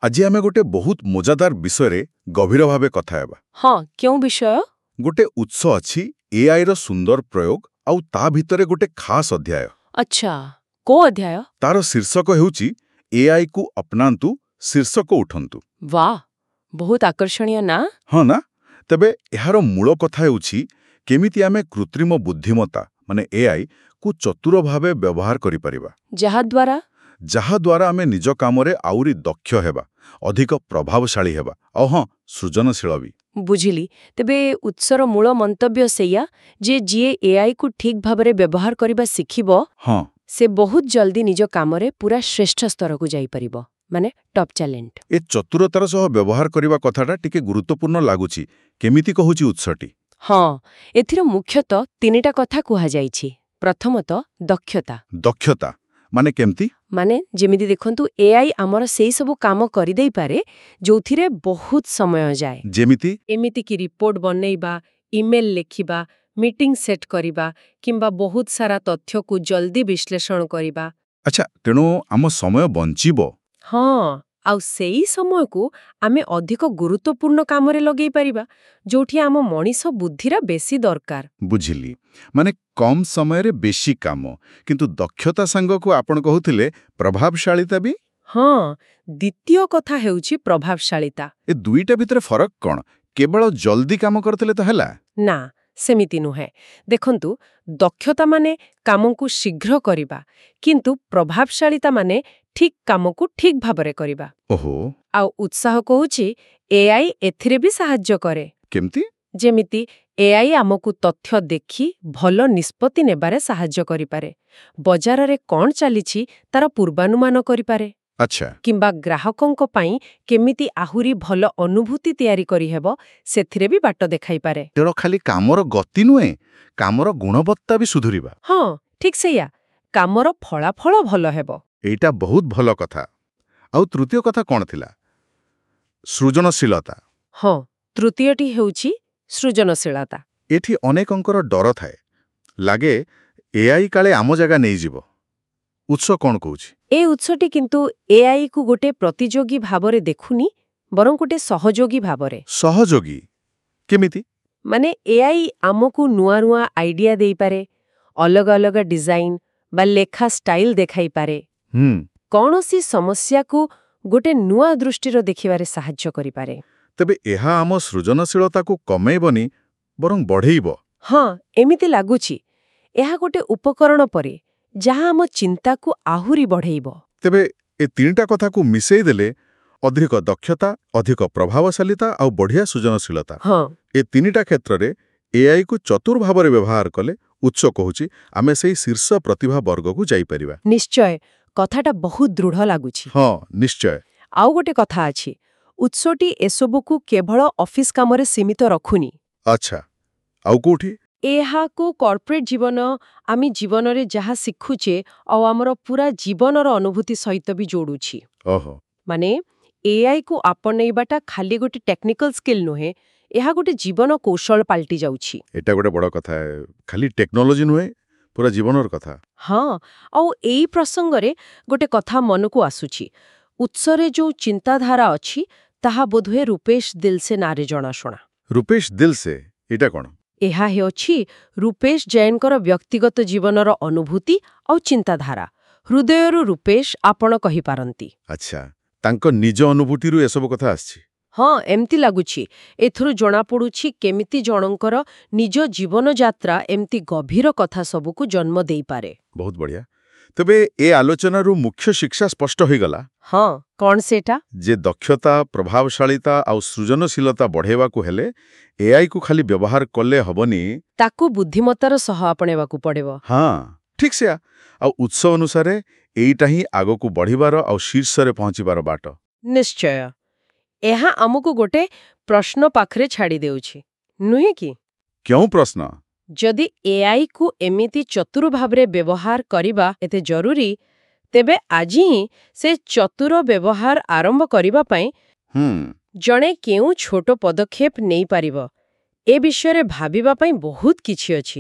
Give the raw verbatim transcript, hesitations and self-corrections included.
ଆଜି ଆମେ ଗୋଟେ ବହୁତ ମଜାଦାର ବିଷୟରେ ଗଭୀର ଭାବେ କଥା ହେବା। ହଁ, କେଉଁ ବିଷୟ? ଗୋଟେ ଉତ୍ସ ଅଛି, ଏଆଇର ସୁନ୍ଦର ପ୍ରୟୋଗ, ଆଉ ତା ଭିତରେ ଗୋଟେ ଖାସ୍ ଅଧ୍ୟାୟ। ଆଚ୍ଛା, କୋଉ ଅଧ୍ୟାୟ? ତାର ଶୀର୍ଷକ ହେଉଛି ଏଆଇକୁ ଅପନାନ୍ତୁ, ଶୀର୍ଷକୁ ଉଠନ୍ତୁ। ବାଃ, ବହୁତ ଆକର୍ଷଣୀୟ ନା। ହଁ ନା? ତେବେ ଏହାର ମୂଳ କଥା ହେଉଛି କେମିତି ଆମେ କୃତ୍ରିମ ବୁଦ୍ଧିମତ୍ତା, ମାନେ ଏଆଇ କୁ ଚତୁର ଭାବେ ବ୍ୟବହାର କରିପାରିବା। ଯାହାଦ୍ୱାରା? ଯାହାଦ୍ୱାରା ଆମେ ନିଜ କାମରେ ଆହୁରି ଦକ୍ଷ ହେବା, ଅଧିକ ପ୍ରଭାବଶାଳୀ ହେବା, ଆଉ ହଁ, ସୃଜନଶୀଳ ବି। ବୁଝିଲି। ତେବେ ଉତ୍ସର ମୂଳ ମନ୍ତବ୍ୟ ସେଇଆ ଯେ ଯିଏ ଏଆଇ କୁ ଠିକ୍ ଭାବରେ ବ୍ୟବହାର କରିବା ଶିଖିବ, ହଁ ସେ ବହୁତ ଜଲ୍ଦି ନିଜ କାମରେ ପୁରା ଶ୍ରେଷ୍ଠ ସ୍ତରକୁ ଯାଇପାରିବ, ମାନେ ଟପ୍ ଟ୍ୟାଲେଣ୍ଟ। ଏ ଚତୁରତାର ସହ ବ୍ୟବହାର କରିବା କଥାଟା ଟିକେ ଗୁରୁତ୍ୱପୂର୍ଣ୍ଣ ଲାଗୁଛି। କେମିତି କହୁଛି ଉତ୍ସଟି? ହଁ, ଏଥିର ମୁଖ୍ୟତଃ ତିନିଟା କଥା କୁହାଯାଇଛି। ପ୍ରଥମତଃ, ଦକ୍ଷତା। ଦକ୍ଷତା ମାନେ କେମିତି? ମାନେ ଯେମିତି ଦେଖନ୍ତୁ, ଏଆଇ ଆମର ସେଇ ସବୁ କାମ କରିଦେଇପାରେ ଯୋଉଥିରେ ବହୁତ ସମୟ ଯାଏ। ଯେମିତି? ଏମିତିକି ରିପୋର୍ଟ ବନେଇବା, ଇମେଲ ଲେଖିବା, ମିଟିଂ ସେଟ୍ କରିବା କିମ୍ବା ବହୁତ ସାରା ତଥ୍ୟକୁ ଜଲ୍ଦି ବିଶ୍ଳେଷଣ କରିବା। ଆଚ୍ଛା, ତେଣୁ ଆମ ସମୟ ବଞ୍ଚିବ। ହଁ, ଆଉ ସେଇ ସମୟକୁ ଆମେ ଅଧିକ ଗୁରୁତ୍ୱପୂର୍ଣ୍ଣ କାମରେ ଲଗେଇ ପାରିବା, ଯୋଉଠି ଆମ ମଣିଷ ବୁଦ୍ଧିର ବେଶୀ ଦରକାର। ବୁଝିଲି, ମାନେ କମ୍ ସମୟରେ ବେଶୀ କାମ। କିନ୍ତୁ ଦକ୍ଷତା ସାଙ୍ଗକୁ ଆପଣ କହୁଥିଲେ ପ୍ରଭାବଶାଳୀତା ବି। ହଁ, ଦ୍ୱିତୀୟ କଥା ହେଉଛି ପ୍ରଭାବଶାଳୀତା। ଏ ଦୁଇଟା ଭିତରେ ଫରକ କ'ଣ? କେବଳ ଜଲ୍ଦି କାମ କରିଥିଲେ ତ ହେଲା? ନା, ସେମିତି ନୁହେଁ। ଦେଖନ୍ତୁ, ଦକ୍ଷତା ମାନେ କାମକୁ ଶୀଘ୍ର କରିବା, କିନ୍ତୁ ପ୍ରଭାବଶାଳୀତା ମାନେ ଠିକ୍ କାମକୁ ଠିକ୍ ଭାବରେ କରିବା। ଓହୋ ଆଉ ଉତ୍ସ କହୁଛି, ଏଆଇ ଏଥିରେ ବି ସାହାଯ୍ୟ କରେ। କେମିତି? ଯେମିତି ଏଆଇ ଆମକୁ ତଥ୍ୟ ଦେଖି ଭଲ ନିଷ୍ପତ୍ତି ନେବାରେ ସାହାଯ୍ୟ କରିପାରେ, ବଜାରରେ କ'ଣ ଚାଲିଛି ତାର ପୂର୍ବାନୁମାନ କରିପାରେ ଆଚ୍ଛା କିମ୍ବା ଗ୍ରାହକଙ୍କ ପାଇଁ କେମିତି ଆହୁରି ଭଲ ଅନୁଭୂତି ତିଆରି କରିହେବ, ସେଥିରେ ବି ବାଟ ଦେଖାଇପାରେ। ତେଣୁ ଖାଲି କାମର ଗତି ନୁହେଁ, କାମର ଗୁଣବତ୍ତା ବି ସୁଧୁରିବା। ହଁ, ଠିକ୍ ସେଇଆ। କାମର ଫଳାଫଳ ଭଲ ହେବ। ଏଇଟା ବହୁତ ଭଲ କଥା। ଆଉ ତୃତୀୟ କଥା କ'ଣ ଥିଲା? ସୃଜନଶୀଳତା। ହଁ, ତୃତୀୟଟି ହେଉଛି ସୃଜନଶୀଳତା। ଏଠି ଅନେକଙ୍କର ଡର ଥାଏ, ଲାଗେ ଏଆଇ କାଳେ ଆମ ଜାଗା ନେଇଯିବ। ଉତ୍ସ କ'ଣ କହୁଛି? ଏ ଉତ୍ସଟି କିନ୍ତୁ ଏଆଇ କୁ ଗୋଟେ ପ୍ରତିଯୋଗୀ ଭାବରେ ଦେଖୁନି, ବରଂ ଗୋଟେ ସହଯୋଗୀ ଭାବରେ। ସହଯୋଗୀ କେମିତି? ମାନେ ଏଆଇ ଆମକୁ ନୂଆ ନୂଆ ଆଇଡିଆ ଦେଇପାରେ, ଅଲଗା ଅଲଗା ଡିଜାଇନ ବା ଲେଖା ଷ୍ଟାଇଲ ଦେଖାଇପାରେ, ହୁଁ କୌଣସି ସମସ୍ୟାକୁ ଗୋଟେ ନୂଆ ଦୃଷ୍ଟିର ଦେଖିବାରେ ସାହାଯ୍ୟ କରିପାରେ। ତେବେ ଏହା ଆମ ସୃଜନଶୀଳତାକୁ କମେଇବନି, ବରଂ ବଢ଼େଇବ। ହଁ, ଏମିତି ଲାଗୁଛି। ଏହା ଗୋଟେ ଉପକରଣ ପରି, ଯାହା ଆମ ଚିନ୍ତାକୁ ଆହୁରି ବଢ଼େଇବ। ତେବେ ଏ ତିନିଟା କଥାକୁ ମିଶେଇ ଦେଲେ, ଅଧିକ ଦକ୍ଷତା, ଅଧିକ ପ୍ରଭାବଶାଳୀତା ଆଉ ବଢ଼ିଆ ସୃଜନଶୀଳତା, ହଁ ଏ ତିନିଟା କ୍ଷେତ୍ରରେ ଏଆଇକୁ ଚତୁର ଭାବରେ ବ୍ୟବହାର କଲେ, ଉତ୍ସ କହୁଛି, ଆମେ ସେଇ ଶୀର୍ଷ ପ୍ରତିଭା ବର୍ଗକୁ ଯାଇପାରିବା। ନିଶ୍ଚୟ, କଥାଟା ବହୁତ ଦୃଢ଼ ଲାଗୁଛି। ହଁ, ନିଶ୍ଚୟ। ଆଉ ଗୋଟେ କଥା ଅଛି। ଉତ୍ସଟି ଏସବୁକୁ କେବଳ ଅଫିସ କାମରେ ସୀମିତ ରଖୁନି। ଆଚ୍ଛା, ଆଉ କୋଉଠି? ଏହାକୁ କର୍ପୋରେଟ ଜୀବନ, ଆମେ ଜୀବନରେ ଯାହା ଶିଖୁଛେ ଆଉ ଆମର ପୁରା ଜୀବନର ଅନୁଭୂତି ସହିତ ବି ଯୋଡୁଛି। ଓହୋ ମାନେ ଏଆଇ କୁ ଆପଣେଇବାଟା ଖାଲି ଗୋଟେ ଟେକ୍ନିକାଲ ସ୍କିଲ୍ ନୁହେଁ, ଏହା ଗୋଟେ ଜୀବନ କୌଶଳ ପାଲଟି ଯାଉଛି। ଏଇଟା ଗୋଟେ ବଡ଼ କଥା। ଖାଲି ଟେକ୍ନୋଲୋଜି ନୁହେଁ, ପୁରା ଜୀବନର କଥା। ହଁ, ଆଉ ଏଇ ପ୍ରସଙ୍ଗରେ ଗୋଟେ କଥା ମନକୁ ଆସୁଛି। ଉତ୍ସରେ ଯୋଉ ଚିନ୍ତାଧାରା ଅଛି, ତାହା ବୋଧହୁଏ ରୂପେଶ ଦିଲସେ ନାଁରେ ଜଣାଶୁଣା। ରୂପେଶ ଦିଲସେ, ଏଇଟା କ'ଣ? ଏହା ହେଉଛି ରୂପେଶ ଜୈନଙ୍କର ବ୍ୟକ୍ତିଗତ ଜୀବନର ଅନୁଭୂତି ଆଉ ଚିନ୍ତାଧାରା। ହୃଦୟରୁ ରୂପେଶ ଆପଣ କହିପାରନ୍ତି। ଆଚ୍ଛା, ତାଙ୍କ ନିଜ ଅନୁଭୂତିରୁ ଏସବୁ କଥା ଆସିଛି। ହଁ, ଏମିତି ଲାଗୁଛି। ଏଥିରୁ ଜଣାପଡୁଛି କେମିତି ଜଣଙ୍କର ନିଜ ଜୀବନ ଯାତ୍ରା ଏମିତି ଗଭୀର କଥା ସବୁକୁ ଜନ୍ମ ଦେଇପାରେ। ବହୁତ ବଢ଼ିଆ। ତେବେ ଏ ଆଲୋଚନାରୁ ମୁଖ୍ୟ ଶିକ୍ଷା ସ୍ପଷ୍ଟ ହୋଇଗଲା। ହଁ, କ'ଣ ସେଇଟା? ଯେ ଦକ୍ଷତା, ପ୍ରଭାବଶାଳୀତା ଆଉ ସୃଜନଶୀଳତା ବଢ଼େଇବାକୁ ହେଲେ ଏଆଇକୁ ଖାଲି ବ୍ୟବହାର କଲେ ହବନି। ତାକୁ ବୁଦ୍ଧିମତ୍ତାର ସହ ଆପଣେଇବାକୁ ପଡ଼ିବ। ହଁ, ଠିକ୍ ସେୟା। ଆଉ ଉତ୍ସ ଅନୁସାରେ ଏଇଟା ହିଁ ଆଗକୁ ବଢ଼ିବାର ଆଉ ଶୀର୍ଷରେ ପହଞ୍ଚିବାର ବାଟ। ନିଶ୍ଚୟ। ଏହା ଆମକୁ ଗୋଟେ ପ୍ରଶ୍ନ ପାଖରେ ଛାଡ଼ି ଦେଉଛି, ନୁହେଁ କି? କେଉଁ ପ୍ରଶ୍ନ? ଯଦି ଏଆଇ କୁ ଏମିତି ଚତୁର ଭାବରେ ବ୍ୟବହାର କରିବା ଏତେ ଜରୁରୀ, ତେବେ ଆଜି ହିଁ ସେ ଚତୁର ବ୍ୟବହାର ଆରମ୍ଭ କରିବା ପାଇଁ ହୁଁ ଜଣେ କେଉଁ ଛୋଟ ପଦକ୍ଷେପ ନେଇପାରିବ, ଏ ବିଷୟରେ ଭାବିବା ପାଇଁ ବହୁତ କିଛି ଅଛି।